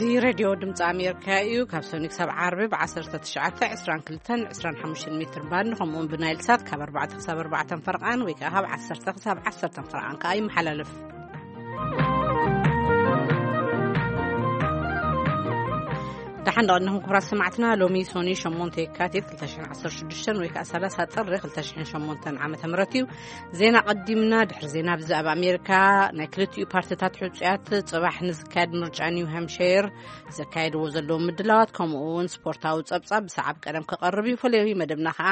እዚ ሬድዮ ድምፂ ኣሜሪካ እዩ። ካብ ሰኑይ ክሳብ ዓርቢ ብ19፣ 22፣ 25 ሜትር ባንድ፣ ከምኡውን ብናይል ሳት ካብ ኣርባዕተ ክሳብ ኣርባዕተ ፈረቓን ወይ ከዓ ካብ ዓሰርተ ክሳብ ዓሰርተ ፈረቓን ከዓ ይመሓላለፍ። ደሓን ደቐንኹም ክቡራት ሰማዕትና። ሎሚ ሶኒ ሸሞንተ የካቲት ክልተ ሽሕን ዓሰርተ ሽዱሽተን ወይ ከዓ ሰላሳ ጥሪ ክልተ ሽሕን ሸሞንተን ዓመተ ምህረት እዩ። ዜና ቀዲምና። ድሕሪ ዜና፣ ብዛዕባ ኣሜሪካ፣ ናይ ክልቲኡ ፓርቲታት ሕጹያት፣ ጽባሕ ንዝካየድ ምርጫ ኒው ሃምፕሸር ዘካየድዎ ዘለዉ ምድላዋት፣ ከምኡ እውን ስፖርታዊ ጸብጻብ ብሰዓብ ቀደም ክቐርብ እዩ። ፈለዊ መደብና ከኣ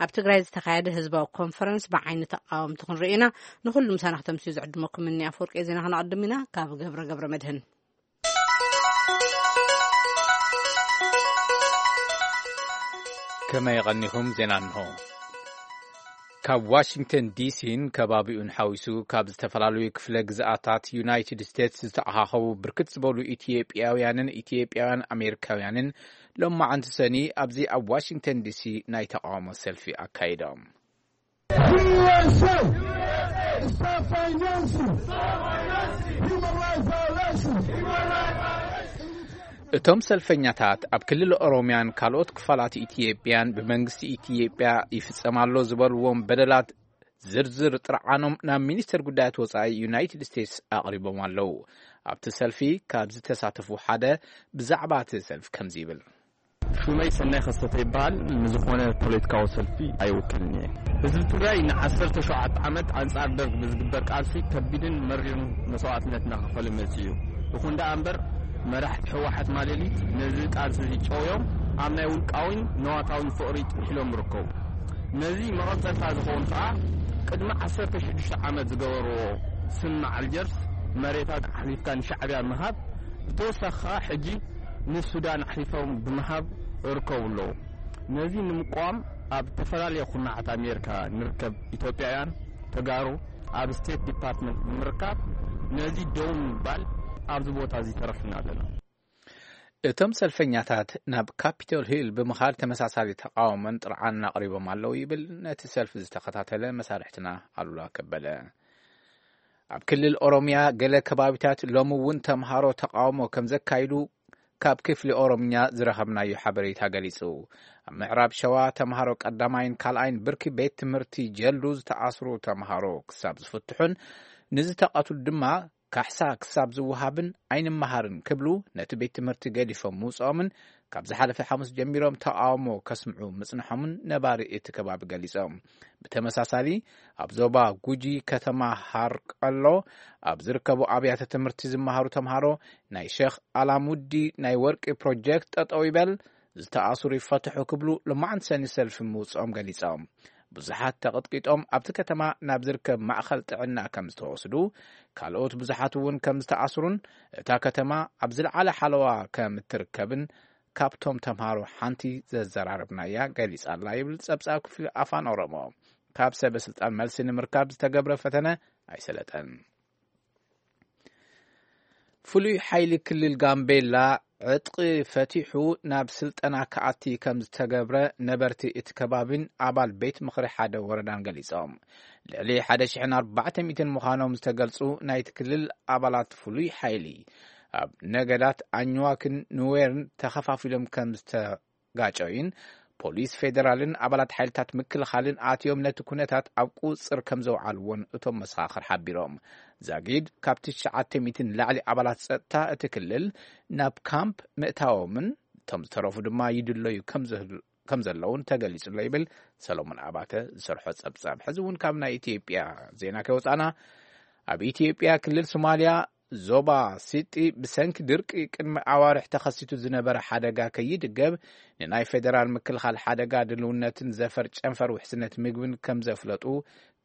ኣብ ትግራይ ዝተኻየደ ህዝባዊ ኮንፈረንስ ብዓይኒ ተቃወምቲ ክንርኢ ኢና። ንኹሉ ምሳና ክተምስዩ ዝዕድመኩም እኒ ኣፈወርቂ። ዜና ክነቐድም ኢና። ካብ ገብረ ገብረ መድህን። ከመይ ቀኒኹም? ዜና እንሆ። ካብ ዋሽንግተን ዲሲን ከባቢኡን ሓዊሱ ካብ ዝተፈላለዩ ክፍለ ግዝኣታት ዩናይትድ ስቴትስ ዝተኣኻኸቡ ብርክት ዝበሉ ኢትዮጵያውያንን ኢትዮጵያውያን ኣሜሪካውያንን ሎማዓንቲ ሰኒ ኣብዚ ኣብ ዋሽንግተን ዲሲ ናይ ተቃውሞ ሰልፊ ኣካይዶም። እቶም ሰልፈኛታት ኣብ ክልል ኦሮሚያን ካልኦት ክፋላት ኢትዮጵያን ብመንግስቲ ኢትዮጵያ ይፍጸም ኣሎ ዝበልዎም በደላት ዝርዝር ጥርዓኖም ናብ ሚኒስተር ጉዳያት ወጻኢ ዩናይትድ ስቴትስ ኣቕሪቦም ኣለዉ። ኣብቲ ሰልፊ ካብ ዝተሳተፉ ሓደ ብዛዕባ እቲ ሰልፊ ከምዚ ይብል። ሽመይ ሰናይ ከሰተ ይበሃል። ንዝኾነ ፖለቲካዊ ሰልፊ ኣይውክልን እየ። ህዝቢ ትግራይ ንዓሰርተ ሸውዓተ ዓመት ኣንጻር ደርግ ብዝግበር ቃልሲ ከቢድን መሪርን መስዋዕትነት እናኸፈለ መጺኡ እዩ። ይኹን ደኣ እምበር፣ መራሕቲ ህወሓት ማሌሊት ነዚ ቃልሲ እዚ ጨውዮም ኣብ ናይ ውልቃዊን ነዋታዊን ፍቕሪ ጥሒሎም ይርከቡ። ነዚ መቐጸልታ ዝኸውን ከኣ ቅድሚ ዓሰርተ ሽዱሽተ ዓመት ዝገበርዎ ስምምዕ ኣልጀርስ መሬታት ኣሕሊፍካ ንሻዕብያ ምሃብ፣ ብተወሳኺ ከኣ ሕጂ ንሱዳን ኣሕሊፎም ብምሃብ ይርከቡ ኣለዉ። ነዚ ንምቋም ኣብ ዝተፈላለየ ኩርናዓት ኣሜሪካ ንርከብ ኢትዮጵያውያን ተጋሩ ኣብ ስቴት ዲፓርትመንት ብምርካብ ነዚ ደው ንምባል ኣብዚ ቦታ እዚ ተረኺብና ኣለና። እቶም ሰልፈኛታት ናብ ካፒቶል ሂል ብምኻድ ተመሳሳሊ ተቃውሞን ጥርዓንን ኣቕሪቦም ኣለዉ ይብል ነቲ ሰልፊ ዝተኸታተለ መሳርሕትና ኣሉላ ከበደ። ኣብ ክልል ኦሮሚያ ገለ ከባቢታት ሎሚ እውን ተምሃሮ ተቃውሞ ከም ዘካይዱ ካብ ክፍሊ ኦሮምኛ ዝረኸብናዮ ሓበሬታ ገሊጹ። ኣብ ምዕራብ ሸዋ ተምሃሮ ቀዳማይን ካልኣይን ብርኪ ቤት ትምህርቲ ጀልዱ ዝተኣስሩ ተምሃሮ ክሳብ ዝፍትሑን ንዝተቐትሉ ድማ ካሕሳ ክሳብ ዝወሃብን ኣይንመሃርን ክብሉ ነቲ ቤት ትምህርቲ ገዲፎም ምውፅኦምን ካብ ዝሓለፈ ሓሙስ ጀሚሮም ተቃውሞ ከስምዑ ምጽንሖምን ነባሪ እቲ ከባቢ ገሊጾም። ብተመሳሳሊ ኣብ ዞባ ጉጂ ከተማ ሃርቀሎ ኣብ ዝርከቡ ኣብያተ ትምህርቲ ዝመሃሩ ተምሃሮ ናይ ሸኽ ኣላሙዲ ናይ ወርቂ ፕሮጀክት ጠጠው ይበል፣ ዝተኣስሩ ይፈትሑ ክብሉ ሎማዓንቲ ሰኒ ሰልፊ ምውፅኦም ገሊጾም። ብዙሓት ተቐጥቂጦም ኣብቲ ከተማ ናብ ዝርከብ ማእኸል ጥዕና ከም ዝተወስዱ፣ ካልኦት ብዙሓት እውን ከም ዝተኣስሩን እታ ከተማ ኣብ ዝለዓለ ሓለዋ ከም እትርከብን ካብቶም ተምሃሮ ሓንቲ ዘዘራረብናያ ገሊጻ ኣላ ይብል ጸብጻብ ክፍሊ ኣፋን ኦሮሞ። ካብ ሰበ ስልጣን መልሲ ንምርካብ ዝተገብረ ፈተነ ኣይሰለጠን። ፍሉይ ሓይሊ ክልል ጋምቤላ ዕጥቂ ፈቲሑ ናብ ስልጠና ክኣቲ ከም ዝተገብረ ነበርቲ እቲ ከባቢን ኣባል ቤት ምኽሪ ሓደ ወረዳን ገሊጾም። ልዕሊ ሓደ ሽሕን ኣርባዕተ ሚእትን ምዃኖም ዝተገልጹ ናይቲ ክልል ኣባላት ፍሉይ ሓይሊ ኣብ ነገዳት ኣኝዋክን ኑዌርን ተኸፋፊሎም ከም ዝተጋጨዩን ፖሊስ ፌደራልን ኣባላት ሓይልታት ምክልኻልን ኣትዮም ነቲ ኩነታት ኣብ ቁጽር ከም ዘውዓልዎን እቶም መሰኻኽር ሓቢሮም። ዛጊድ ካብ ትሽዓተ ሚእቲ ንላዕሊ ኣባላት ጸጥታ እቲ ክልል ናብ ካምፕ ምእታዎምን እቶም ዝተረፉ ድማ ይድለዩ ከም ዘህል-፣ ከም ዘለውን ተገሊጹ ኣሎ ይብል ሰሎሞን ኣባተ ዝሰርሖ ጸብጻብ። ሕዚ እውን ካብ ናይ ኢትዮጵያ ዜና ከይወጻና፣ ኣብ ኢትዮጵያ ክልል ሶማልያ ዞባ ሲጢ ብሰንኪ ድርቂ ቅድሚ ኣዋርሕ ተኸሲቱ ዝነበረ ሓደጋ ከይድገብ ንናይ ፌደራል ምክልኻል ሓደጋ ድልውነትን ዘፈር ጨንፈር ውሕስነት ምግብን ከም ዘፍለጡ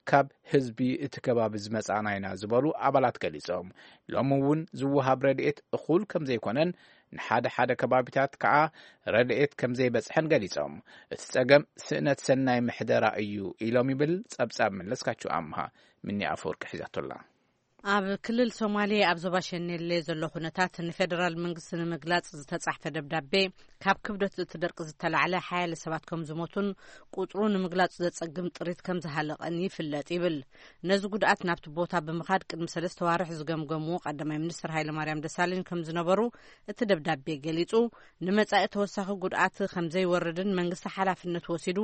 ካብ ህዝቢ እቲ ከባቢ ዝመጻእና ኢና ዝበሉ ኣባላት ገሊጾም። ሎሚ እውን ዝወሃብ ረድኤት እኹል ከም ዘይኮነን ንሓደ ሓደ ከባቢታት ከኣ ረድኤት ከም ዘይበጽሐን ገሊጾም። እቲ ጸገም ስእነት ሰናይ ምሕደራ እዩ ኢሎም ይብል ጸብጻብ መለስካቸው ኣምሃ። ምኒ ኣፈወርቂ ሒዛቶላ። ኣብ ክልል ሶማሌ ኣብ ዞባ ሸኔሌ ዘሎ ኩነታት ንፌደራል መንግስቲ ንምግላጽ ዝተጻሕፈ ደብዳቤ፣ ካብ ክብደት እቲ ደርቂ ዝተላዕለ ሓያለ ሰባት ከም ዝሞቱን ቁጽሩ ንምግላጽ ዘጸግም ጥሪት ከም ዝሃለቐን ይፍለጥ ይብል። ነዚ ጉድኣት ናብቲ ቦታ ብምኻድ ቅድሚ ሰለስተ ዋርሕ ዝገምገሙ ቀዳማይ ሚኒስትር ሃይለማርያም ደሳለኝ ከም ዝነበሩ እቲ ደብዳቤ ገሊጹ፣ ንመጻኢ ተወሳኺ ጉድኣት ከም ዘይወርድን መንግስቲ ሓላፍነት ወሲዱ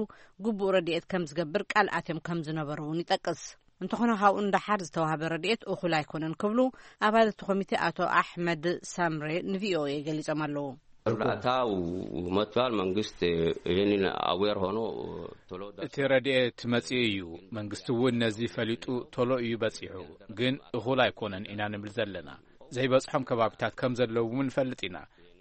ግቡእ ረድኤት ከም ዝገብር ቃል ኣትዮም ከም ዝነበሩ እውን ይጠቅስ። እንተኾነ፣ ካብኡ ንደሓር ዝተዋህበ ረድኤት እኹል ኣይኮነን ክብሉ ኣባል እቲ ኮሚቴ ኣቶ ኣሕመድ ሳምሬ ንቪኦኤ ገሊጾም ኣለዉ። እርዳታ መጥቷል። መንግስት ይህንን አዌር ሆኖ ቶሎ እቲ ረድኤት መጺኡ እዩ። መንግስቲ እውን ነዚ ፈሊጡ ቶሎ እዩ በጺሑ። ግን እኹል ኣይኮነን ኢና ንብል ዘለና። ዘይበጽሖም ከባቢታት ከም ዘለዉ እውን ንፈልጥ ኢና።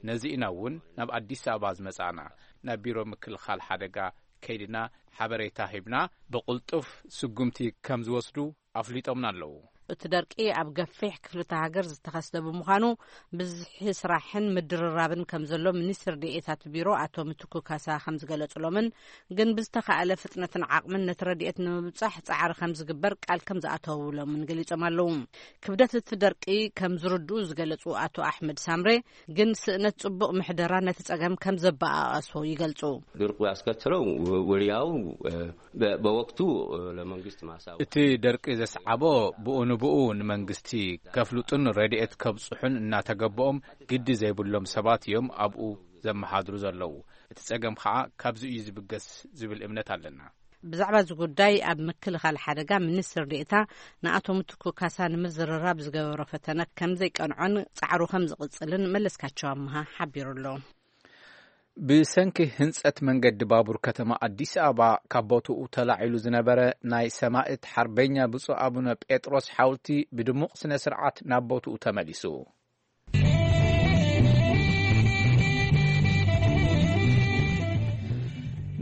ነዚ ኢና እውን ናብ ኣዲስ ኣበባ ዝመጻእና። ናብ ቢሮ ምክልኻል ሓደጋ ከይድና ሓበሬታ ሂብና፣ ብቕልጡፍ ስጉምቲ ከም ዝወስዱ ኣፍሊጦምና ኣለዉ። እቲ ደርቂ ኣብ ገፊሕ ክፍልተ ሃገር ዝተኸስተ ብምዃኑ፣ ብዝሒ ስራሕን ምድርራብን ከም ዘሎ ሚኒስትር ዴኤታት ቢሮ ኣቶ ምትኩ ካሳ ከም ዝገለጹሎምን፣ ግን ብዝተኻእለ ፍጥነትን ዓቕምን ነቲ ረድኤት ንምብጻሕ ጻዕሪ ከም ዝግበር ቃል ከም ዝኣተውሎምን ገሊጾም ኣለዉ። ክብደት እቲ ደርቂ ከም ዝርድኡ ዝገለጹ ኣቶ ኣሕመድ ሳምሬ፣ ግን ስእነት ጽቡቕ ምሕደራ ነቲ ጸገም ከም ዘበኣኣሶ ይገልጹ። ድርቁ ያስከተለው ወዲያው በ-፣ በወቅቱ ለመንግስት ማሳወቅ። እቲ ደርቂ ዘስዓቦ ብኡ ንብኡ ንመንግስቲ ከፍልጡን ረድኤት ከብጽሑን እናተገበኦም ግዲ ዘይብሎም ሰባት እዮም ኣብኡ ዘመሓድሩ ዘለዉ። እቲ ጸገም ኸዓ ካብዚ እዩ ዝብገስ ዝብል እምነት ኣለና። ብዛዕባ እዚ ጉዳይ ኣብ ምክልኻል ሓደጋ ሚኒስትር ዴኤታ ንኣቶ ምትኩ ካሳ ንምዝርራብ ዝገበሮ ፈተነ ከም ዘይቀንዖን ጻዕሩ ከም ዝቕጽልን መለስካቸው ኣምሃ ሓቢሩ ኣሎ። ብሰንኪ ህንጸት መንገዲ ባቡር ከተማ ኣዲስ ኣበባ ካብ ቦትኡ ተላዒሉ ዝነበረ ናይ ሰማእት ሓርበኛ ብፁዕ ኣቡነ ጴጥሮስ ሓውልቲ ብድሙቕ ስነ ስርዓት ናብ ቦትኡ ተመሊሱ።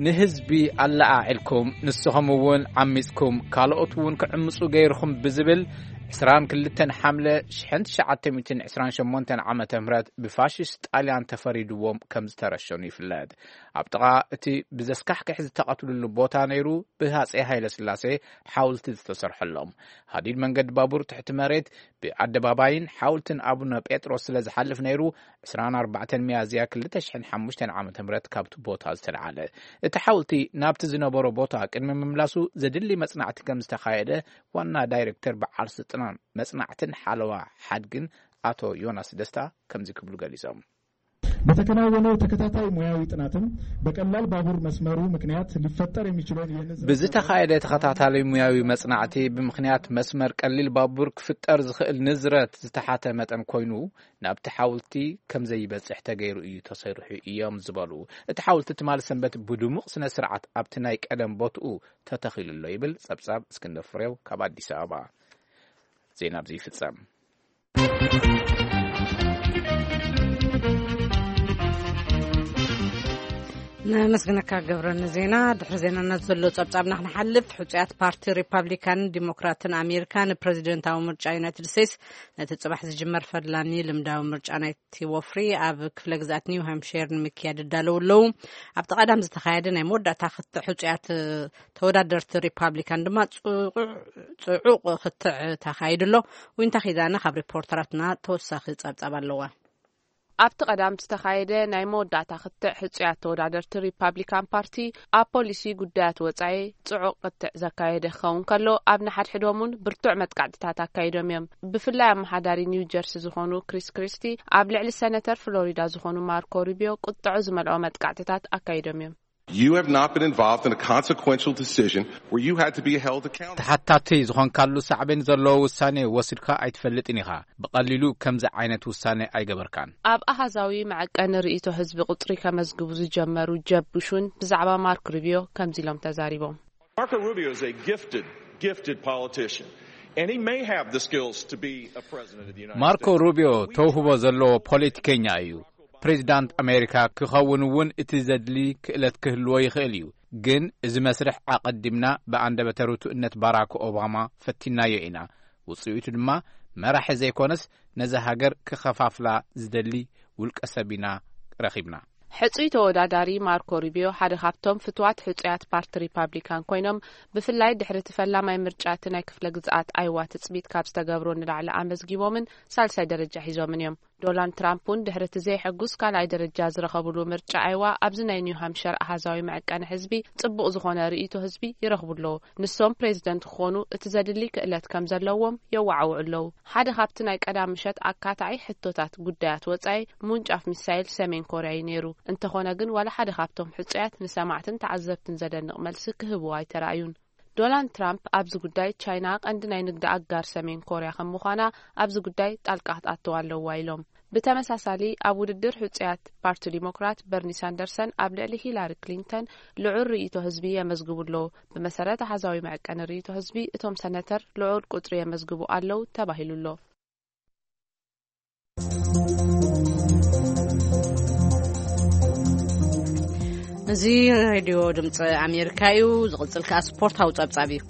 ንህዝቢ ኣለዓዒልኩም፣ ንስኹም እውን ዓሚጽኩም፣ ካልኦት እውን ክዕምጹ ገይርኹም ብዝብል ዕስራን ክልተን ሓምለ ሽሕን ትሽዓተ ሚእትን ዕስራን ሸሞንተን ዓመተ ምህረት ብፋሽስት ጣልያን ተፈሪድዎም ከም ዝተረሸኑ ይፍለጥ። ኣብ ጥቓ እቲ ብዘስካሕክሕ ዝተቐትሉሉ ቦታ ነይሩ ብሃጼ ሃይለ ስላሴ ሓውልቲ ዝተሰርሐሎም። ሃዲድ መንገዲ ባቡር ትሕቲ መሬት ብኣደባባይን ሓውልትን ኣቡነ ጴጥሮስ ስለ ዝሓልፍ ነይሩ፣ ዕስራን ኣርባዕተን ሚያዝያ ክልተ ሽሕን ሓሙሽተን ዓመተ ምህረት ካብቲ ቦታ ዝተልዓለ። እቲ ሓውልቲ ናብቲ ዝነበሮ ቦታ ቅድሚ ምምላሱ ዘድሊ መጽናዕቲ ከም ዝተኻየደ ዋና ዳይሬክተር በዓል ስልጣን መጽናዕትን ሓለዋ ሓድግን ኣቶ ዮናስ ደስታ ከምዚ ክብሉ ገሊጾም። በተከናወነው ተከታታይ ሙያዊ ጥናትም በቀላል ባቡር መስመሩ ምክንያት ሊፈጠር የሚችለውን የንዝረት ብዝተኻየደ ተኸታታሊ ሙያዊ መጽናዕቲ፣ ብምኽንያት መስመር ቀሊል ባቡር ክፍጠር ዝኽእል ንዝረት ዝተሓተ መጠን ኮይኑ፣ ናብቲ ሓውልቲ ከም ዘይበጽሕ ተገይሩ እዩ ተሰሪሑ እዮም ዝበሉ እቲ ሓውልቲ፣ ትማሊ ሰንበት ብድሙቕ ስነ ስርዓት ኣብቲ ናይ ቀደም ቦትኡ ተተኺሉ ኣሎ ይብል ጸብጻብ እስክንድር ፍሬው ካብ ኣዲስ ኣበባ። ዜና ኣብዚ ይፍጸም። ነመስግነካ ገብረ ንዜና። ድሕሪ ዜናና ዘሎ ጸብጻብና ክንሓልፍ፣ ሕጹያት ፓርቲ ሪፓብሊካንን ዲሞክራትን ኣሜሪካ ንፕረዚደንታዊ ምርጫ ዩናይትድ ስቴትስ፣ ነቲ ጽባሕ ዝጅመር ፈላሚ ልምዳዊ ምርጫ ናይቲ ወፍሪ ኣብ ክፍለ ግዝኣት ኒው ሃምፕሸር ንምክያድ ይዳለዉ ኣለዉ። ኣብቲ ቀዳም ዝተኻየደ ናይ መወዳእታ ክትዕ ሕጹያት ተወዳደርቲ ሪፓብሊካን ድማ ጽዑቕ፣ ጽዑቕ ክትዕ ተኻይዱ ኣሎ። ዊንታ ኪዳነ ካብ ሪፖርተራትና ተወሳኺ ጸብጻብ ኣለዋ። ኣብቲ ቀዳም ዝተኻየደ ናይ መወዳእታ ክትዕ ሕጹያት ተወዳደርቲ ሪፓብሊካን ፓርቲ ኣብ ፖሊሲ ጉዳያት ወጻኢ ጽዑቕ ክትዕ ዘካየደ ክኸውን ከሎ፣ ኣብ ንሓድሕዶም እውን ብርቱዕ መጥቃዕትታት ኣካይዶም እዮም። ብፍላይ ኣመሓዳሪ ኒው ጀርሲ ዝኾኑ ክሪስ ክሪስቲ ኣብ ልዕሊ ሰነተር ፍሎሪዳ ዝኾኑ ማርኮ ሩቢዮ ቁጥዖ ዝመልኦ መጥቃዕትታት ኣካይዶም እዮም። You have not been involved in a consequential decision where you had to be held accountable. ተሓታቲ ዝኾንካሉ ሳዕቤን ዘለዎ ውሳኔ ወሲድካ ኣይትፈልጥን ኢኻ። ብቐሊሉ ከምዚ ዓይነት ውሳኔ ኣይገበርካን። ኣብ ኣሃዛዊ መዐቀኒ ርእይቶ ህዝቢ ቁጽሪ ከመዝግቡ ዝጀመሩ ጀብ ቡሽ እውን ብዛዕባ ማርክ ሩቢዮ ከምዚ ኢሎም ተዛሪቦም። Marco Rubio is a gifted, gifted politician, and he may have the skills to be a president of the United ማርኮ States. ሩቢዮ ተውህቦ ዘለዎ ፖለቲከኛ እዩ። ፕሬዚዳንት ኣሜሪካ ክኸውን እውን እቲ ዘድሊ ክእለት ክህልዎ ይኽእል እዩ። ግን እዚ መስርሕ ኣቐዲምና ብኣንደበተ ርቱእነት ባራክ ኦባማ ፈቲናዮ ኢና። ውጽኢቱ ድማ መራሒ ዘይኮነስ ነዛ ሃገር ክኸፋፍላ ዝደሊ ውልቀ ሰብ ኢና ረኺብና። ሕጹይ ተወዳዳሪ ማርኮ ሩቢዮ ሓደ ካብቶም ፍትዋት ሕጹያት ፓርቲ ሪፓብሊካን ኮይኖም፣ ብፍላይ ድሕሪ እቲ ፈላማይ ምርጫ እቲ ናይ ክፍለ ግዝኣት ኣይዋ ትጽቢት ካብ ዝተገብሮ ንላዕሊ ኣመዝጊቦምን ሳልሳይ ደረጃ ሒዞምን እዮም። ዶናልድ ትራምፕ እውን ድሕሪ እቲ ዘይሕጉስ ካልኣይ ደረጃ ዝረኸብሉ ምርጫ ኣይዋ፣ ኣብዚ ናይ ኒው ሃምሸር ኣሃዛዊ መዐቀኒ ህዝቢ ጽቡቕ ዝኾነ ርእይቶ ህዝቢ ይረኽቡ ኣለዉ። ንሶም ፕሬዚደንት ክኾኑ እቲ ዘድሊ ክእለት ከም ዘለዎም የወዓውዑ ኣለዉ። ሓደ ካብቲ ናይ ቀዳም ምሸት ኣካታዒ ሕቶታት ጉዳያት ወጻኢ ምውንጫፍ ሚሳይል ሰሜን ኮርያ እዩ ነይሩ። እንተኾነ ግን ዋላ ሓደ ካብቶም ሕጹያት ንሰማዕትን ተዓዘብትን ዘደንቕ መልሲ ክህብዎ ኣይተራእዩን። ዶናልድ ትራምፕ ኣብዚ ጉዳይ ቻይና ቀንዲ ናይ ንግዲ ኣጋር ሰሜን ኮርያ ከም ምዃና ኣብዚ ጉዳይ ጣልቃ ክትኣትው ኣለዋ ኢሎም። ብተመሳሳሊ ኣብ ውድድር ሕጹያት ፓርቲ ዲሞክራት በርኒ ሳንደርሰን ኣብ ልዕሊ ሂላሪ ክሊንተን ልዑል ርእይቶ ህዝቢ የመዝግቡ ኣለዉ። ብመሰረት ኣሃዛዊ መዐቀኒ ርእይቶ ህዝቢ እቶም ሰነተር ልዑል ቁጽሪ የመዝግቡ ኣለዉ ተባሂሉ ኣሎ። እዚ ሬድዮ ድምፂ ኣሜሪካ እዩ። ዝቕፅል ከኣ ስፖርታዊ ጸብጻብ እዩ።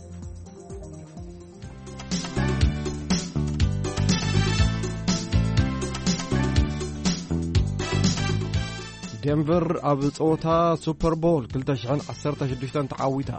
ዴንቨር ኣብ ጸወታ ሱፐር ቦል ክልተ ሽሕን ዓሰርተ ሽዱሽተን ተዓዊታ።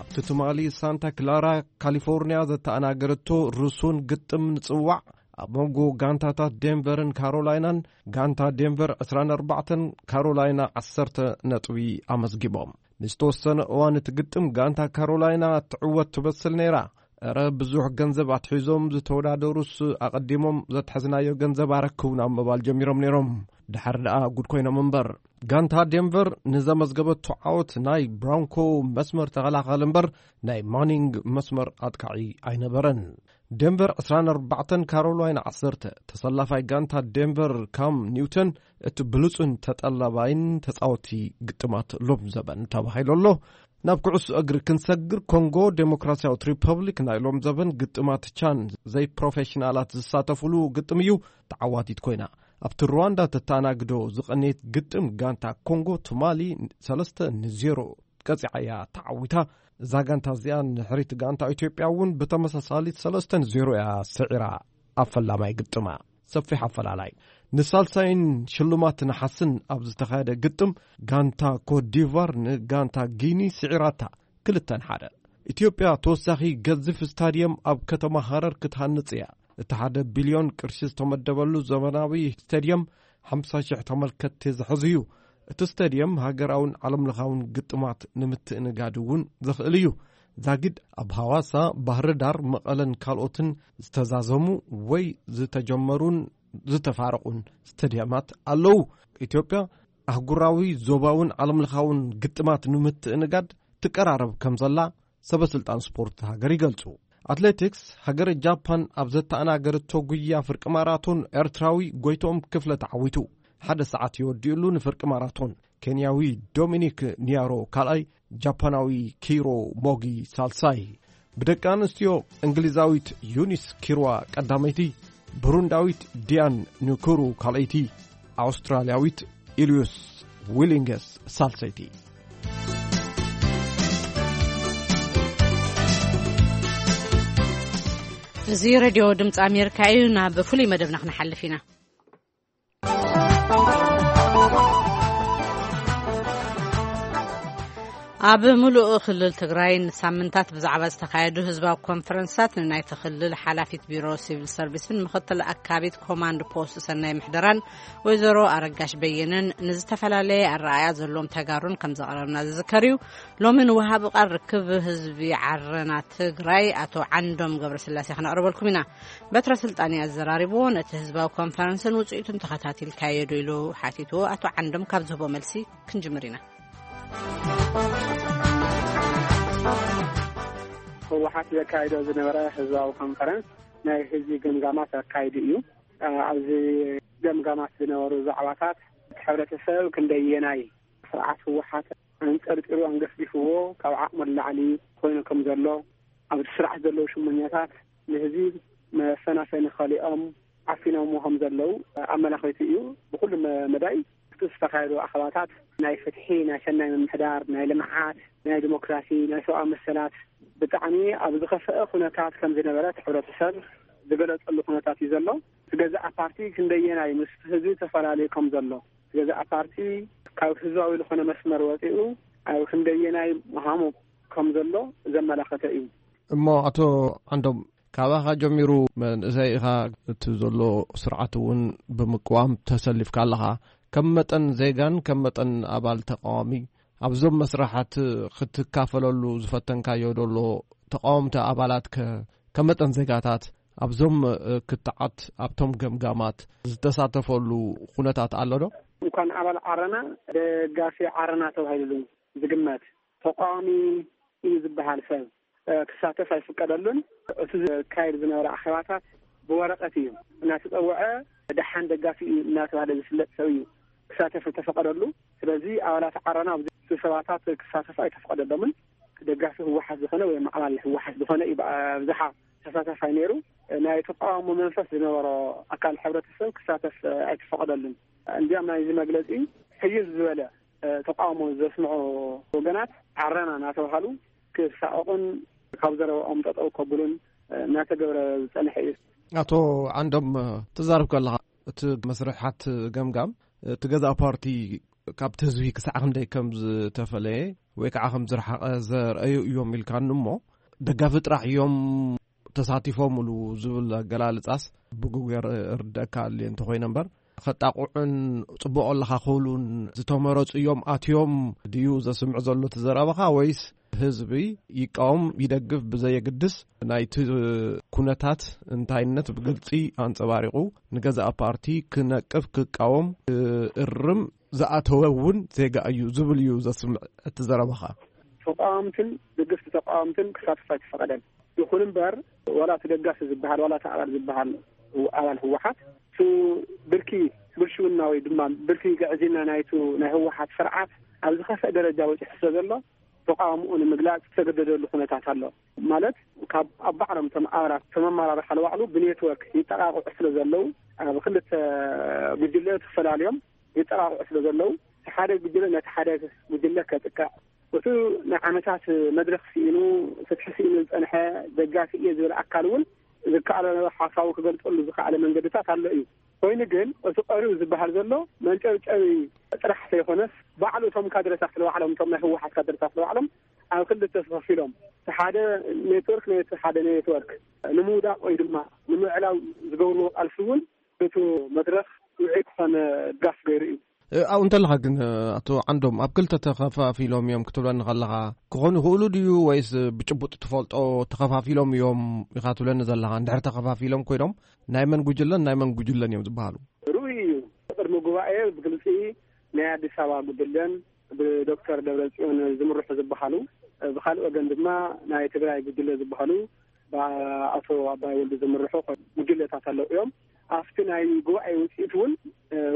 ኣብቲ ትማሊ ሳንታ ክላራ ካሊፎርኒያ ዘተኣናገረቶ ርሱን ግጥም ንጽዋዕ ኣብ መንጎ ጋንታታት ዴንቨርን ካሮላይናን፣ ጋንታ ዴንቨር ዕስራን ኣርባዕተን፣ ካሮላይና ዓሰርተ ነጥቢ ኣመዝጊቦም። ንዝተወሰነ እዋን እቲ ግጥም ጋንታ ካሮላይና ትዕወት ትመስል ነይራ። እረ ብዙሕ ገንዘብ ኣትሒዞም ዝተወዳደሩስ ኣቐዲሞም ዘትሐዝናዮ ገንዘብ ኣረክቡና ምባል ጀሚሮም ነይሮም። ድሓር ደኣ ጉድ ኮይኖም እምበር። ጋንታ ዴንቨር ንዘመዝገበቶ ዓወት ናይ ብራንኮ መስመር ተኸላኸል እምበር ናይ ማኒንግ መስመር ኣጥቃዒ ኣይነበረን። ዴንቨር ዕስራን ኣርባዕተን ካሮላይና ዓሰርተ። ተሰላፋይ ጋንታ ዴንቨር ካም ኒውተን እቲ ብሉጽን ተጠላባይን ተጻወቲ ግጥማት ሎም ዘበን ተባሂሉ ኣሎ። ናብ ኩዕሶ እግሪ ክንሰግር፣ ኮንጎ ዴሞክራሲያዊት ሪፐብሊክ ናይ ሎም ዘበን ግጥማት ቻን ዘይፕሮፌሽናላት ዝሳተፉሉ ግጥም እዩ ተዓዋቲት ኮይና። ኣብቲ ሩዋንዳ ተተኣናግዶ ዝቐነየት ግጥም ጋንታ ኮንጎ ትማሊ ሰለስተ ንዜሮ ቀጺዓ እያ ተዓዊታ። እዛ ጋንታ እዚኣ ንሕሪት ጋንታ ኢትዮጵያ እውን ብተመሳሳሊ ሰለስተ ንዜሮ እያ ስዒራ ኣብ ፈላማይ ግጥማ። ሰፊሕ ኣፈላላይ። ንሳልሳይን ሽልማት ነሓስን ኣብ ዝተኻየደ ግጥም ጋንታ ኮትዲቫር ንጋንታ ጊኒ ስዒራታ ክልተ ንሓደ። ኢትዮጵያ ተወሳኺ ገዚፍ ስታድየም ኣብ ከተማ ሃረር ክትሃንጽ እያ። እቲ ሓደ ቢልዮን ቅርሺ ዝተመደበሉ ዘመናዊ ስታድየም ሓምሳ ሽሕ ተመልከትቲ ዝሕዝ እዩ። እቲ ስታድየም ሃገራውን ዓለምለኻውን ግጥማት ንምትእንጋድ እውን ዘኽእል እዩ። ዛጊድ ኣብ ሃዋሳ፣ ባህርዳር፣ መቐለን ካልኦትን ዝተዛዘሙ ወይ ዝተጀመሩን ዝተፋረቑን ስታድየማት ኣለዉ። ኢትዮጵያ ኣህጉራዊ፣ ዞባውን ዓለምለኻውን ግጥማት ንምትእንጋድ ትቀራረብ ከም ዘላ ሰበ ስልጣን ስፖርት ሃገር ይገልጹ። ኣትሌቲክስ፣ ሃገረ ጃፓን ኣብ ዘተኣናገረቶ ጉያ ፍርቂ ማራቶን ኤርትራዊ ጎይትኦም ክፍለ ተዓዊቱ። ሓደ ሰዓት የወዲኡሉ ንፍርቂ ማራቶን። ኬንያዊ ዶሚኒክ ኒያሮ ካልኣይ፣ ጃፓናዊ ኪሮ ሞጊ ሳልሳይ። ብደቂ ኣንስትዮ፣ እንግሊዛዊት ዩኒስ ኪርዋ ቀዳመይቲ፣ ብሩንዳዊት ዲያን ንኩሩ ካልኣይቲ፣ ኣውስትራልያዊት ኢልዩስ ዊሊንገስ ሳልሰይቲ። እዚ ሬድዮ ድምፂ ኣሜሪካ እዩ። ናብ ፍሉይ መደብና ክንሓልፍ ኢና። ኣብ ምሉእ ክልል ትግራይ ንሳምንታት ብዛዕባ ዝተኻየዱ ህዝባዊ ኮንፈረንሳት ንናይቲ ክልል ሓላፊት ቢሮ ሲቪል ሰርቪስን ምኽትል ኣካቢት ኮማንድ ፖስት ሰናይ ምሕደራን ወይዘሮ ኣረጋሽ በየነን ንዝተፈላለየ ኣረኣእያ ዘለዎም ተጋሩን ከም ዘቕረብና ዝዝከር እዩ። ሎሚ ንወሃቢ ቃል ርክብ ህዝቢ ዓረና ትግራይ ኣቶ ዓንዶም ገብረስላሴ ክነቕርበልኩም ኢና። በትረ ስልጣን ኣዘራሪብዎ፣ ነቲ ህዝባዊ ኮንፈረንስን ውፅኢቱን ተኸታቲልካዮ ዶ ኢሉ ሓቲትዎ። ኣቶ ዓንዶም ካብ ዝህቦ መልሲ ክንጅምር ኢና። ህወሓት ዘካይዶ ዝነበረ ህዝባዊ ኮንፈረንስ ናይ ህዝቢ ገምጋማት ኣካይዱ እዩ። ኣብዚ ገምጋማት ዝነበሩ ዛዕባታት፣ እቲ ሕብረተሰብ ክንደየናይ ስርዓት ህወሓት ኣንጠርጢሩ ኣንገፍጊፍዎ ካብ ዓቕሙ ንላዕሊ ኮይኑ ከም ዘሎ፣ ኣብቲ ስርዓት ዘለዉ ሽሞኛታት ንህዝቢ መፈናፈኒ ከሊኦም ዓፊኖምዎ ከም ዘለዉ ኣመላኺቱ እዩ። ብኩሉ መ-፣ መዳይ እቲ ዝተኻየዱ ኣኼባታት ናይ ፍትሒ፣ ናይ ሰናይ ምምሕዳር፣ ናይ ልምዓት፣ ናይ ዲሞክራሲ፣ ናይ ሰብኣዊ መሰላት ብጣዕሚ ኣብ ዝኸፍአ ኩነታት ከም ዝነበረ እቲ ሕብረተሰብ ዝገለጸሉ ኩነታት እዩ ዘሎ። እቲ ገዛእ ፓርቲ ክንደየናይ ምስ ህዝቢ ተፈላለዩ ከም ዘሎ፣ ገዛእ ፓርቲ ካብ ህዝባዊ ዝኾነ መስመር ወፂኡ ኣብ ክንደየናይ ምዃኑ ከም ዘሎ ዘመላኸተ እዩ። እሞ ኣቶ ዓንዶም፣ ካባኻ ጀሚሩ መንእሰይ ኢኻ፣ እቲ ዘሎ ስርዓት እውን ብምቅዋም ተሰሊፍካ ኣለኻ። ከም መጠን ዜጋን ከም መጠን ኣባል ተቃዋሚ ኣብዞም መስርሓት ክትካፈለሉ ዝፈተንካዮ ደሎ ተቃወምቲ ኣባላት ከ ከም መጠን ዜጋታት ኣብዞም ክትዓት ኣብቶም ገምጋማት ዝተሳተፈሉ ኩነታት ኣሎ ዶ? እንኳን ኣባል ዓረና፣ ደጋፊ ዓረና ተባሂሉ ዝግመት ተቃዋሚ እዩ ዝበሃል ሰብ ክሳተፍ ኣይፍቀደሉን። እቲ ዝካየድ ዝነበረ ኣኼባታት ብወረቐት እዩ እናተፀውዐ፣ ደሓን ደጋፊ እዩ እናተባሃለ ዝፍለጥ ሰብ እዩ ክሳተፍ ዝተፈቀደሉ። ስለዚ ኣባላት ዓረና ኣብዚ ስብሰባታት ክሳተፍ ኣይተፈቀደሎምን። ደጋፊ ህወሓት ዝኾነ ወይ ኣባል ህወሓት ዝኾነ እዩ ብኣብዝሓ ተሳታፋይ ነይሩ። ናይ ተቃውሞ መንፈስ ዝነበሮ ኣካል ሕብረተሰብ ክሳተፍ ኣይተፈቀደሉን። እንዲያም ናይዚ መግለፂ ሕይል ዝበለ ተቃውሞ ዘስምዑ ወገናት ዓረና እናተባሃሉ ክሳቐቑን ካብ ዘረባኦም ጠጠው ከብሉን እናተገብረ ዝጸንሐ እዩ። ኣቶ ዓንዶም፣ ትዛረብ ከለኻ እቲ መስርሓት ገምጋም እቲ ገዛእ ፓርቲ ካብቲ ህዝቢ ክሳዕ ክንደይ ከም ዝተፈለየ ወይ ከዓ ከም ዝረሓቐ ዘርእዩ እዮም ኢልካኒ እሞ፣ ደጋፊ ጥራሕ እዮም ተሳቲፎምሉ ዝብል ኣገላልጻስ ብግጉ ርድአካ ኣልየ እንተኾይነ እምበር፣ ከጣቕዑን ጽቡቕ ኣለኻ ክብሉን ዝተመረጹ እዮም ኣትዮም ድዩ ዘስምዕ ዘሎ እቲ ዘረባኻ? ወይስ ህዝቢ ይቃወም ይደግፍ ብዘየግድስ ናይቲ ኩነታት እንታይነት ብግልጺ ኣንጸባሪቑ ንገዛእ ፓርቲ ክነቅፍ ክቃወም ክእርም ዝኣተወ እውን ዜጋ እዩ ዝብል እዩ ዘስምዕ እቲ ዘረባኻ። ተቃወምትን ደገፍቲ ተቃወምትን ክሳተፍ ኣይተፈቐደን። ይኹን እምበር ዋላ እቲ ደጋፊ ዝበሃል ዋላ እቲ ኣባል ዝበሃል ኣባል ህወሓት እቲ ብርኪ ብልሽውና ወይ ድማ ብርኪ ግዕዝይና ናይቱ ናይ ህወሓት ስርዓት ኣብ ዝኸፍአ ደረጃ በፂሑ ስለ ዘሎ ተቃውምኡ ንምግላፅ ዝተገደደሉ ኩነታት ኣሎ። ማለት ካብ ኣብ ባዕሎም እቶም ኣባላት እቶም ኣመራርሓ ንባዕሉ ብኔትወርክ ይጠቃቕዑ ስለ ዘለዉ ኣብ ክልተ ጉጅለ ተፈላልዮም ይጠቃቕዑ ስለ ዘለዉ እቲ ሓደ ጉጅለ ነቲ ሓደ ጉጅለ ከጥቅዕ እቲ ንዓመታት መድረኽ ስኢኑ ፍትሒ ስኢኑ ዝፀንሐ ደጋፊ እየ ዝብል ኣካል እውን ዝከኣሎ ሓሳቡ ክገልፀሉ ዝኸኣለ መንገድታት ኣሎ እዩ። ኮይኑ ግን እቲ ቀሪቡ ዝበሃል ዘሎ መንጨብጨቢ ጥራሕ ዘይኮነስ ባዕሉ እቶም ካድረታት ንባዕሎም እቶም ናይ ህወሓት ካድረታት ንባዕሎም ኣብ ክልተ ተኸፊሎም እቲ ሓደ ኔትወርክ ነቲ ሓደ ኔትወርክ ንምውዳቕ ወይ ድማ ንምዕላው ዝገብርዎ ቃልሲ እውን እቲ መድረኽ ውዑይ ክኾነ ድጋፍ ገይሩ እዩ። ኣብኡ እንተለኻ ግን ኣቶ ዓንዶም ኣብ ክልተ ተኸፋፊሎም እዮም ክትብለኒ ከለኻ ክኾኑ ይኽእሉ ድዩ ወይስ ብጭቡጥ ትፈልጦ ተኸፋፊሎም እዮም ኢኻ ትብለኒ ዘለኻ? እንድሕር ተኸፋፊሎም ኮይኖም ናይ መን ጉጅለን ናይ መን ጉጅለን እዮም ዝበሃሉ? ርኡይ እዩ። ቅድሚ ጉባኤ ብግልፂ ናይ ኣዲስ ኣበባ ጉጅለን ብዶክተር ደብረፅዮን ዝምርሑ ዝበሃሉ፣ ብካልእ ወገን ድማ ናይ ትግራይ ጉጅለ ዝበሃሉ ብኣቶ ኣባይ ወልዱ ዝምርሑ ጉጅለታት ኣለዉ እዮም። ኣብቲ ናይ ጉባኤ ውፅኢት እውን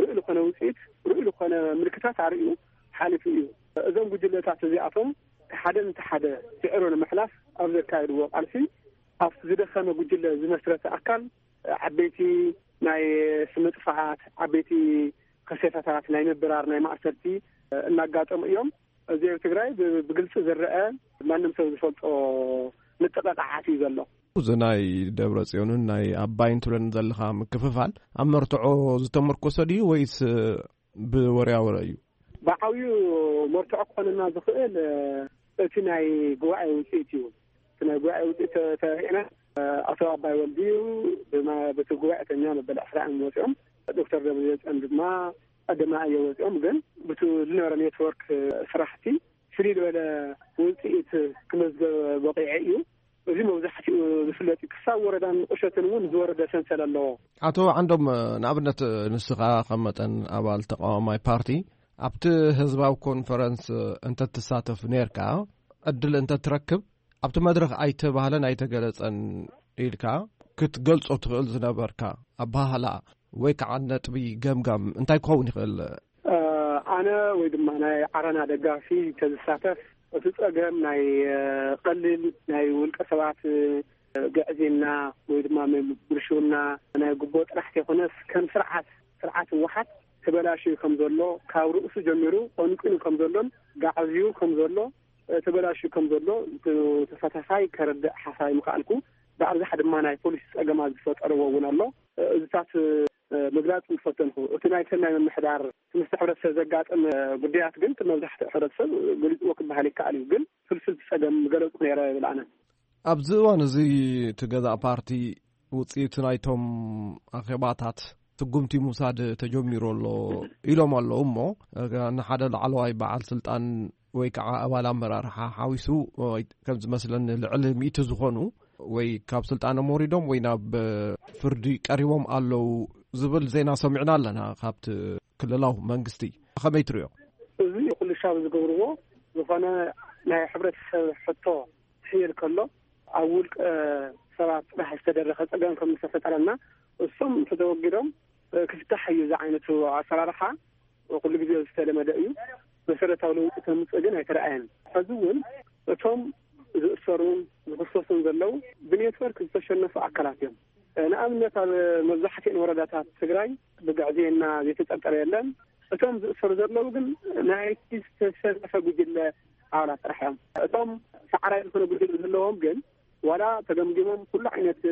ርኡይ ዝኾነ ውፅኢት ርኡይ ዝኾነ ምልክታት ኣርእዩ ሓሊፉ እዩ። እዞም ጉጅለታት እዚኣቶም ሓደ ነቲ ሓደ ስዕሩ ንምሕላፍ ኣብ ዘካየድዎ ቃልሲ ኣብቲ ዝደኸመ ጉጅለ ዝመስረተ ኣካል ዓበይቲ ናይ ስምጥፋኣት ዓበይቲ ከሴታታት ናይ ምብራር ናይ ማእሰርቲ እናጋጠሙ እዮም። እዚ ኣብ ትግራይ ብግልፂ ዝረአ ማንም ሰብ ዝፈልጦ ምጥቕቓዓት እዩ ዘሎ። እዚ ናይ ደብረ ፅዮንን ናይ ኣባይን ትብለኒ ዘለኻ ምክፍፋል ኣብ መርትዖ ዝተመርኮሰ ድዩ ወይስ ብወርያ ወረ እዩ? ብዓብዩ መርትዖ ክኾነና ዝኽእል እቲ ናይ ጉባኤ ውፅኢት እዩ። እቲ ናይ ጉባኤ ውፅኢት ተሪእና ኣቶ ኣባይ ወልዲ እዩ ብቲ ጉባኤተኛ መበል ዕስራ እዮም ወፂኦም። ዶክተር ደብረፅዮን ድማ ቀደማ እዮም ወፂኦም። ግን ብቲ ዝነበረ ኔትወርክ ስራሕቲ ፍልይ ዝበለ ውፅኢት ክመዝገብ በቂዐ እዩ። እዚ መብዛሕትኡ ዝፍለጥ እዩ። ክሳብ ወረዳን ቁሸትን እውን ዝወረደ ሰንሰል ኣለዎ። ኣቶ ዓንዶም፣ ንኣብነት ንስኻ ከም መጠን ኣባል ተቃዋማይ ፓርቲ ኣብቲ ህዝባዊ ኮንፈረንስ እንተትሳተፍ ነርካ ዕድል እንተትረክብ ኣብቲ መድረኽ ኣይተባህለን ኣይተገለጸን ኢልካ ክትገልጾ ትኽእል ዝነበርካ ኣባህላ ወይ ከዓ ነጥቢ ገምጋም እንታይ ክኸውን ይኽእል? ኣነ ወይ ድማ ናይ ዓረና ደጋፊ ተዝሳተፍ እቲ ጸገም ናይ ቀሊል ናይ ውልቀ ሰባት ግዕዝና ወይ ድማ ብልሽውና ናይ ጉቦ ጥራሕ ተይኮነስ ከም ስርዓት ስርዓት ህወሓት ተበላሽዩ ከም ዘሎ ካብ ርእሱ ጀሚሩ ቆንቂኑ ከም ዘሎን ጋዕዝዩ ከም ዘሎ ተበላሽዩ ከም ዘሎ ተሳታፋይ ከረድእ ሓሳብ ምክኣልኩ። ብኣብዝሓ ድማ ናይ ፖሊሲ ጸገማት ዝፈጠርዎ እውን ኣሎ። እዚታት ምግላጽ ዝፈተንኩ። እቲ ናይ ሰናይ ምምሕዳር ምስ ሕብረተሰብ ዘጋጥም ጉዳያት ግን እቲ መብዛሕትኡ ሕብረተሰብ ገሊጽዎ ክበሃል ይከኣል እዩ። ግን ፍልፍልቲ ጸገም ዝገለጽኩ ነይረ ይብል ኣነ። ኣብዚ እዋን እዚ እቲ ገዛእ ፓርቲ ውጽኢት ናይቶም ኣኼባታት ስጉምቲ ምውሳድ ተጀሚሩ ኣሎ ኢሎም ኣለዉ። እሞ ንሓደ ላዕለዋይ በዓል ስልጣን ወይ ከዓ ኣባል ኣመራርሓ ሓዊሱ፣ ወይ ከም ዝመስለኒ ልዕሊ ሚእቲ ዝኾኑ ወይ ካብ ስልጣኖም ወሪዶም ወይ ናብ ፍርዲ ቀሪቦም ኣለዉ ዝብል ዜና ሰሚዕና ኣለና ካብቲ ክልላዊ መንግስቲ። ከመይ ትሪኦ? እዚ ኩሉ ሻብ ዝገብርዎ ዝኾነ ናይ ሕብረተሰብ ሕቶ ክሕየል ከሎ ኣብ ውልቀ ሰባት ጥራሕ ዝተደረኸ ጸገም ከም ዝተፈጠረና እሶም ተተወጊዶም ክፍታሕ እዩ። እዚ ዓይነቱ ኣሰራርሓ ኩሉ ግዜ ዝተለመደ እዩ። መሰረታዊ ለውጢ ከምፅእ ግን ኣይተረኣየን። ሕዚ እውን እቶም ዝእሰሩን ዝኽሰሱን ዘለዉ ብኔትወርክ ዝተሸነፉ ኣካላት እዮም። ንኣብነት ኣብ መብዛሕትኤን ወረዳታት ትግራይ ብግዕዝይና ዘይተጠርጠረ የለን። እቶም ዝእሰሩ ዘለዉ ግን ናይቲ ዝተሸነፈ ጉጅለ ኣባላት ጥራሕ እዮም። እቶም ሳዕራይ ዝኾነ ጉጅለ ዘለዎም ግን ዋላ ተገምጊሞም ኩሉ ዓይነት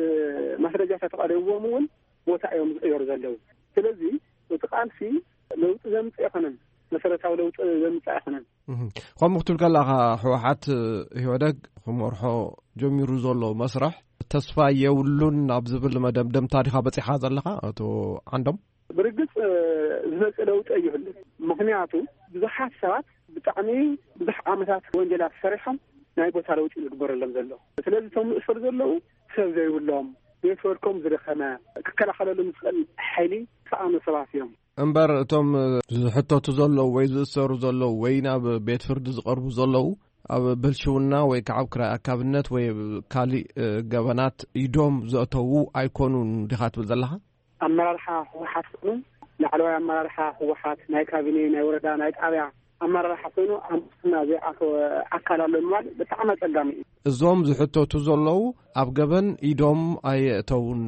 ማስረጃታት ተቐሪብዎም እውን ቦታ እዮም ዝቕየሩ ዘለዉ። ስለዚ እቲ ቃልሲ ለውጢ ዘምፅእ ኣይኮነን፣ መሰረታዊ ለውጢ ዘምፅእ ኣይኮነን። ከምኡ ክትብል ከለኻ ህወሓት ኢህወደግ ክመርሖ ጀሚሩ ዘሎ መስርሕ ተስፋ የብሉን ኣብ ዝብል መደምደምታ ዲኻ በፂኻ ዘለኻ ኣቶ ዓንዶም? ብርግፅ ዝመፅእ ለውጢ ኣይህሉን። ምክንያቱ ብዙሓት ሰባት ብጣዕሚ ብዙሕ ዓመታት ወንጀላት ሰሪሖም ናይ ቦታ ለውጢ ዝግበረሎም ዘሎ። ስለዚ እቶም ዝእሰሩ ዘለዉ ሰብ ዘይብሎም፣ ኔትወርኮም ዝደኸመ፣ ክከላኸለሎም ዝኽእል ሓይሊ ዝሰኣኑ ሰባት እዮም። እምበር እቶም ዝሕተቱ ዘለዉ ወይ ዝእሰሩ ዘለዉ ወይ ናብ ቤት ፍርዲ ዝቐርቡ ዘለዉ ኣብ ብልሽውና ወይ ከዓ ኣብ ክራይ ኣካብነት ወይ ኣብ ካሊእ ገበናት ኢዶም ዘእተዉ ኣይኮኑን ዲኻ ትብል ዘለኻ? ኣመራርሓ ህወሓት ኮይኑ ላዕለዋይ ኣመራርሓ ህወሓት ናይ ካቢኔ ናይ ወረዳ ናይ ጣብያ ኣመራርሓ ኮይኑ ኣብ ሙስና ዘይኣተወ ኣካል ኣሎ ምባል ብጣዕሚ ኣፀጋሚ እዩ። እዞም ዝሕተቱ ዘለዉ ኣብ ገበን ኢዶም ኣየእተውን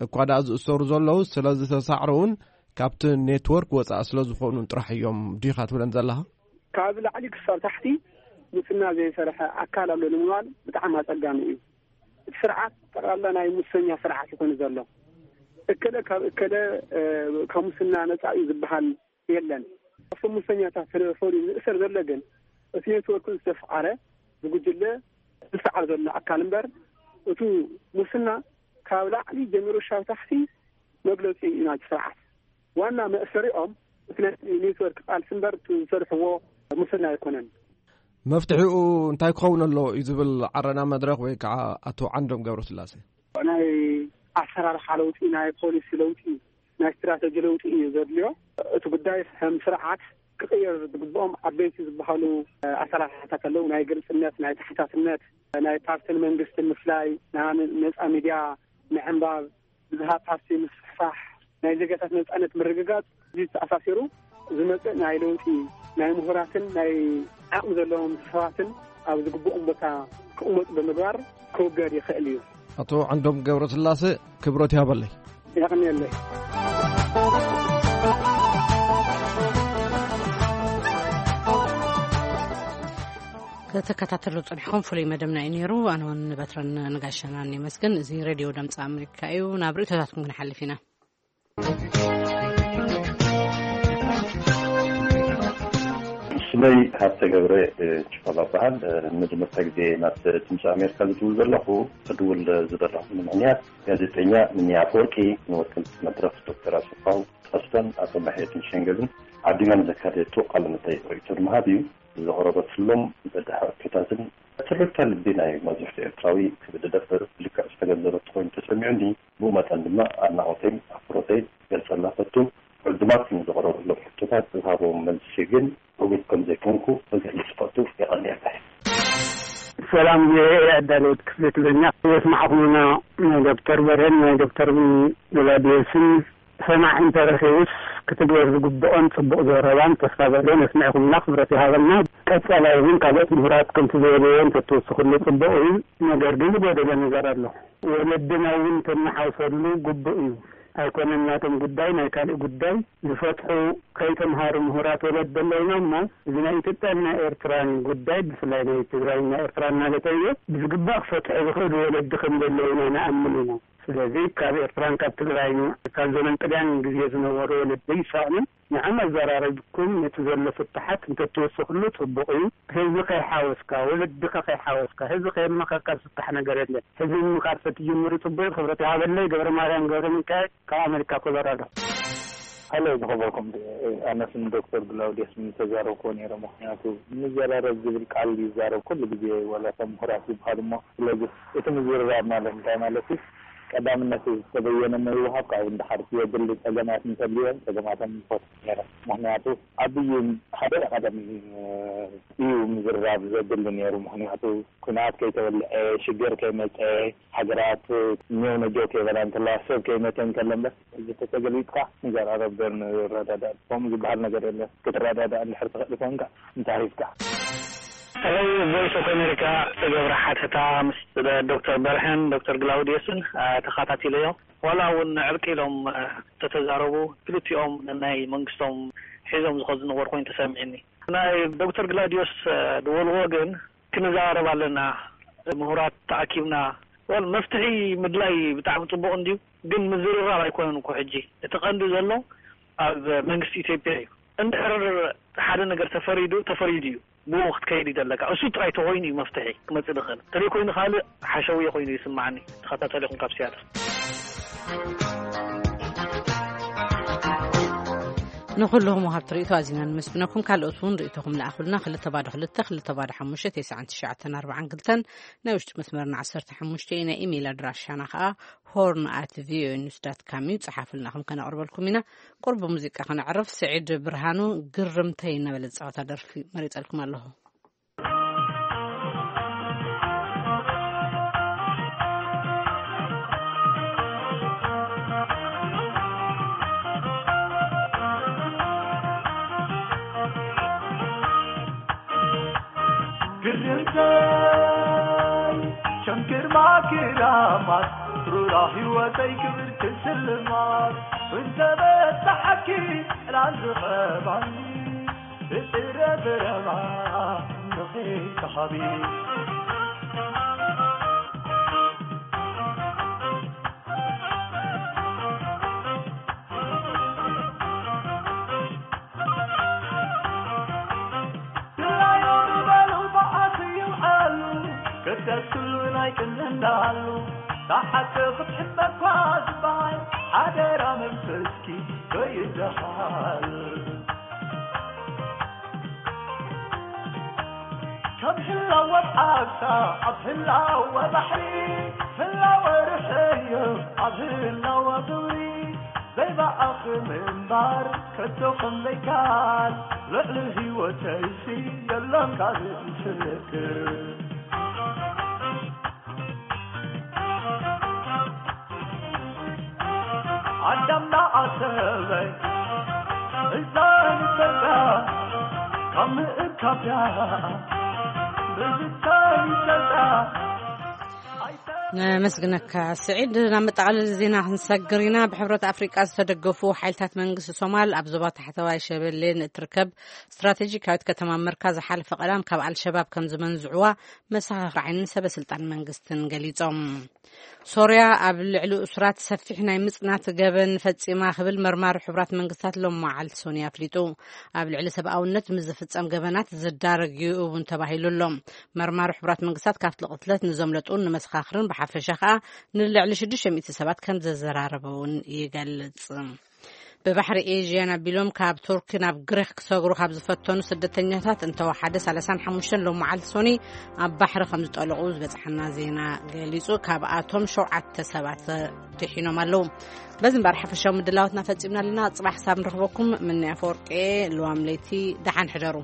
እኳ ደኣ ዝእሰሩ ዘለዉ ስለ ዝተሳዕረውን ካብቲ ኔትወርክ ወፃእ ስለ ዝኾኑን ጥራሕ እዮም ዲኻ ትብለን ዘለኻ? ካብ ላዕሊ ክሳብ ታሕቲ ሙስና ዘይሰርሐ ኣካል ኣሎ ንምባል ብጣዕሚ ኣፀጋሚ እዩ። እቲ ስርዓት ጠቕላላ ናይ ሙሰኛ ስርዓት ይኾን ዘሎ። እከለ ካብ እከለ ካብ ሙስና ነፃ እዩ ዝበሃል የለን። ካብቶም ሙሰኛታት ተፈሊዩ ዝእሰር ዘሎ ግን እቲ ኔትወርክ ዝተፍዓረ ብጉጅለ ዝሰዓር ዘሎ ኣካል እምበር እቲ ሙስና ካብ ላዕሊ ጀሚሩ ሻብ ታሕቲ መግለፂ እዩ ናይቲ ስርዓት። ዋና መእሰሪኦም እቲ ናይ ኔትወርክ ቃልሲ እምበር እቲ ዝሰርሕዎ ሙስና ኣይኮነን። መፍትሒኡ እንታይ ክኸውን ኣለዎ እዩ ዝብል ዓረና መድረኽ ወይ ከዓ ኣቶ ዓንዶም ገብረስላሴ? ናይ ኣሰራርሓ ለውጢ፣ ናይ ፖሊሲ ለውጢ፣ ናይ ስትራተጂ ለውጢ እዩ ዘድልዮ። እቲ ጉዳይ ከም ስርዓት ክቕየር ዝግብኦም ዓበይቲ ዝበሃሉ ኣሰራርሓታት ኣለዉ። ናይ ግልፅነት፣ ናይ ተሓታትነት፣ ናይ ፓርትን መንግስትን ምፍላይ፣ ናይ ነፃ ሚድያ ምዕንባብ፣ ብዝሃ ፓርቲ ምስፍሕፋሕ፣ ናይ ዜጋታት ነፃነት ምርግጋፅ፣ እዚ ተኣሳሲሩ ዝመፅእ ናይ ለውጢ ናይ ምሁራትን ናይ ዓቕሚ ዘለዎም ሰባትን ኣብ ዝግብኦም ቦታ ክቕመጡ ብምግባር ክውገድ ይኽእል እዩ። ኣቶ ዓንዶም ገብረስላሴ ክብረት ይሃበለይ። የቐንየለይ። ክትከታተሉ ጸኒሕኩም ፍሉይ መደብና እዩ ነይሩ። ኣነ እውን ንበትረን ንጋሻናን የመስግን። እዚ ሬድዮ ድምፂ ኣሜሪካ እዩ። ናብ ርእይቶታትኩም ክንሓልፍ ኢና። ስመይ ሃብተ ገብረ ጭፈላ በሃል። ንመጀመርታ ግዜ ናብ ድምፂ ኣሜሪካ ዝድውል ዘለኹ። ክድውል ዝደለኹ ምክንያት ጋዜጠኛ ምኒ ኣፈወርቂ ንወከልቲ መድረኽ ዶክተር ኣሰፋው ተስፋን ኣቶ ማሕየትን ሸንገብን ዓዲማ ንዘካየደቶ ቃለ መጠይቕ ርእይቶ ንምሃብ እዩ። ዘቕረበትሎም በዳሂ ሕቶታትን ትርታ ልቢ ናይ መብዛሕትኡ ኤርትራዊ ክብድ ደብር ብልክዕ ዝተገንዘበቶ ኮይኑ ተሰሚዑኒ። ብኡ መጠን ድማ ኣድናቖተይን ኣኽብሮተይን ክገልጸላ ፈቱ። ዕዱማት ንዘቕረበሎም ሕቶታት ዝሃቦም መልሲ ግን ዕጉብ ከም ዘይኮንኩ ክገልጽ ፈቱ። የቐንየለይ። ሰላም ቪኦኤ ኣዳለውቲ ክፍሊ ትግርኛ የስማዕኹምና ናይ ዶክተር በርሄን ናይ ዶክተር ገላዲዮስን ሰማዒ እንተረኺቡስ ክትግበር ዝግብኦን ጽቡቕ ዘረባን ተስፋ ዘሎን የስሚዕኹምና ክብረት ይሃበልና። ቀጻላይ እውን ካልኦት ምሁራት ከምቲ ዘየለዮ እንተትውስኹሉ ጽቡቕ እዩ። ነገር ግን ዝጎደለ ነገር ኣሎ። ወለድና እውን ተናሓውሰሉ ግቡእ እዩ። ኣይኮነን ናቶም ጉዳይ ናይ ካልእ ጉዳይ ዝፈትሑ ከይተምሃሩ ምሁራት ወለዲ ኣለውና እሞ እዚ ናይ ኢትዮጵያን ናይ ኤርትራን ጉዳይ ብፍላይ ናይ ትግራይን ናይ ኤርትራን ማለት እየ ብዝግባእ ክፈትሑ ዝኽእሉ ወለዲ ከም ዘለውና ንኣምን ኢና። ስለዚ ካብ ኤርትራን ካብ ትግራይን ካብ ዘመን ጥልያን ግዜ ዝነበሩ ወለዲ ይሳእኑን ንዓም ኣዘራረብኩም ነቲ ዘሎ ፍትሓት እንተትወስኽሉ ጽቡቕ እዩ። ህዝቢ ከይሓወስካ፣ ወለድኻ ከይሓወስካ፣ ህዝቢ ከየመኸካ ዝፍታሕ ነገር የለን። ህዝቢ ምምኻር ተትጅምሩ ጽቡቕ። ክብረት ይሃበለይ። ገብረ ማርያም ገብረ ሚካኤል ካብ ኣሜሪካ ኮሎራዶ። ሃሎ፣ ዝኸበርኩም፣ ኣነስ ንዶክተር ግላውዲየስ ምተዛረብክዎ ነይረ። ምኽንያቱ ምዘራረብ ዝብል ቃል ይዛረብ ኩሉ ግዜ፣ ዋላ እቶም ምሁራት ዝበሃሉ እሞ። ስለዚ እቲ ምዝርራብ ማለት እንታይ ማለት እዩ? ቀዳምነት ዝተበየነ ምውሃብ ካብኡ ንድሓር ዘድሊ ጸገማት እንተልዮም ጸገማቶም ይፈቱ ነይረ። ምኽንያቱ ዓብዪ ሓደ ቀደም እዩ ምዝርራብ ዘድሊ ነይሩ። ምኽንያቱ ኩናት ከይተወልዐ፣ ሽግር ከይመፀ፣ ሃገራት ኔው ነጆ ከይበላ እንከለዋ፣ ሰብ ከይመተ እንከሎ እምበር፣ እዚ ተተገልቢጥካ ንዘራረብ ዶ ንረዳዳእ? ከምኡ ዝበሃል ነገር የለን። ክትረዳዳእ እንድሕር ትኽእል ኮንካ እንታይ ሂፍካ? ሄሎ፣ ቮይስ ኦፍ ኣሜሪካ፣ ዝተገብረ ሓተታ ምስ ዶክተር በርሀን ዶክተር ግላውዲየስን፣ አ፣ ተኸታቲለዮ። ዋላ እውን ዕርቂ ኢሎም፣ አ፣ ተተዛረቡ፣ ክልቲኦም ናይ መንግስቶም ሒዞም ዝኸዱ ዝነበሩ ኮይኑ ተሰሚዕኒ። ናይ ዶክተር ግላውዲዮስ፣ አ፣ ዝበልዎ ግን ክንዘራረብ ኣለና፣ ምሁራት ተኣኪብና፣ ወል መፍትሒ ምድላይ ብጣዕሚ ጽቡቕ እንድዩ፣ ግን ምዝርራብ ኣይኮነን እኮ ሕጂ። እቲ ቀንዲ ዘሎ ኣብ መንግስቲ ኢትዮጵያ እዩ። እንድሕር ሓደ ነገር ተፈሪዱ፣ ተፈሪዱ እዩ። ብኡ ክትከይድ እዩ ዘለካ። እሱ ጥራይ ተኮይኑ እዩ መፍትሒ ክመጽእ ዝኽእል። እንተዘይኮይኑ ካልእ ሓሸውየ ኮይኑ ይስማዓኒ። ተኸታተሊኹም ካብ ሲያትል። ንኹልኹም ወሃብቲ ርእይቶ ኣዚና ንመስግነኩም። ካልኦት እውን ርእይቶኹም ለኣኹልና። ክልተ ባዶ ክልተ፣ ክልተ ባዶ ሓሙሽተ፣ ተስዓን ትሽዓተን ኣርባዓን ክልተን፣ ናይ ውሽጢ መስመርና ዓሰርተ ሓሙሽተ እዩ። ናይ ኢሜይል ኣድራሻና ኸኣ ሆርን ኣት ቪኦኤ ኒውስ ዳት ካም እዩ። ጸሓፉልና፣ ከም ከነቕርበልኩም ኢና። ቁርብ ሙዚቃ ከነዕርፍ፣ ስዒድ ብርሃኑ ግርምተይ እናበለ ዝጻወታ ደርፊ መሪጸልኩም ኣለኹ። ግርምተይ ከም ግርማ ክራማት ሩራ ህይወተይ ክብርቲ ስልማት እንተ በጻሓኪ ዕላል ዝኸባኒ ብጥረ ብረማ ንኺ ተሃቢ። ድላዩ ንበሉ ብዓት ይውዓሉ ክደስሉ ናይ ቅንዕናሉ ሳሓተ ክትሕመኳ ዝበሃል ሓደራ መንፈስኪ ከይደሃል። ከም ህላወ ዓሳ ኣብ ህላወ ባሕሪ ህላወ ርሕዮ ኣብ ህላወ ግብሪ ዘይበኣኽ ምንባር ከቶ ከም ዘይከኣል ልዕሊ ህይወተይሲ የሎን ካልእ ምስክር። ኣዳም ደኣ ሰበይ እዛ ንፈልጣ ካብ ምእካብያ ብዝታይ ይፈልጣ። ነመስግነካ ስዒድ። ናብ መጠቓለሊ ዜና ክንሰግር ኢና። ብሕብረት ኣፍሪቃ ዝተደገፉ ሓይልታት መንግስቲ ሶማል ኣብ ዞባ ታሕተዋይ ሸበሌ ንእትርከብ ስትራቴጂካዊት ከተማ መርካ ዝሓለፈ ቀዳም ካብ ኣልሸባብ ከም ዝመንዝዕዋ መሰኻኽር ዓይንን ሰበ ስልጣን መንግስትን ገሊጾም። ሶርያ ኣብ ልዕሊ እሱራት ሰፊሕ ናይ ምጽናት ገበን ፈጺማ ክብል መርማሪ ሕቡራት መንግስታት ሎም መዓልቲ ሶኒ ኣፍሊጡ። ኣብ ልዕሊ ሰብኣውነት ምስ ዝፍጸም ገበናት ዝዳረግ እዩ እውን ተባሂሉ ኣሎ። መርማሪ ሕቡራት መንግስታት ካብቲ ቅትለት ንዘምለጡን ንመሰኻኽርን ብሓፈሻ ከኣ ንልዕሊ ሽዱሽተ ሚእቲ ሰባት ከም ዘዘራረበ እውን ይገልጽ። ብባሕሪ ኤዥያን ኣቢሎም ካብ ቱርኪ ናብ ግሪክ ክሰግሩ ካብ ዝፈተኑ ስደተኛታት እንተወሓደ ሰላሳን ሓሙሽተን ሎም መዓልቲ ሶኒ ኣብ ባሕሪ ከም ዝጠለቑ ዝበጽሓና ዜና ገሊጹ። ካብኣቶም ሸውዓተ ሰባት ድሒኖም ኣለዉ። በዚ እምበኣር ሓፈሻዊ ምድላዋትና ፈጺምና ኣለና። ጽባሕ ክሳብ ንረኽበኩም ምንያ ኣፈወርቂ። ልዋም ለይቲ ደሓን ሕደሩ።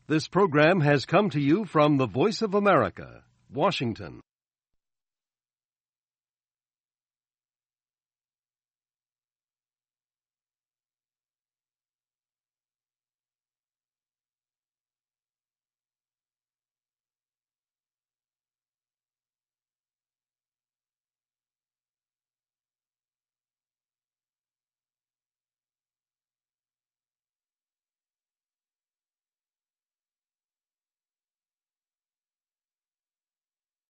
This program has come to you from the Voice of America, Washington.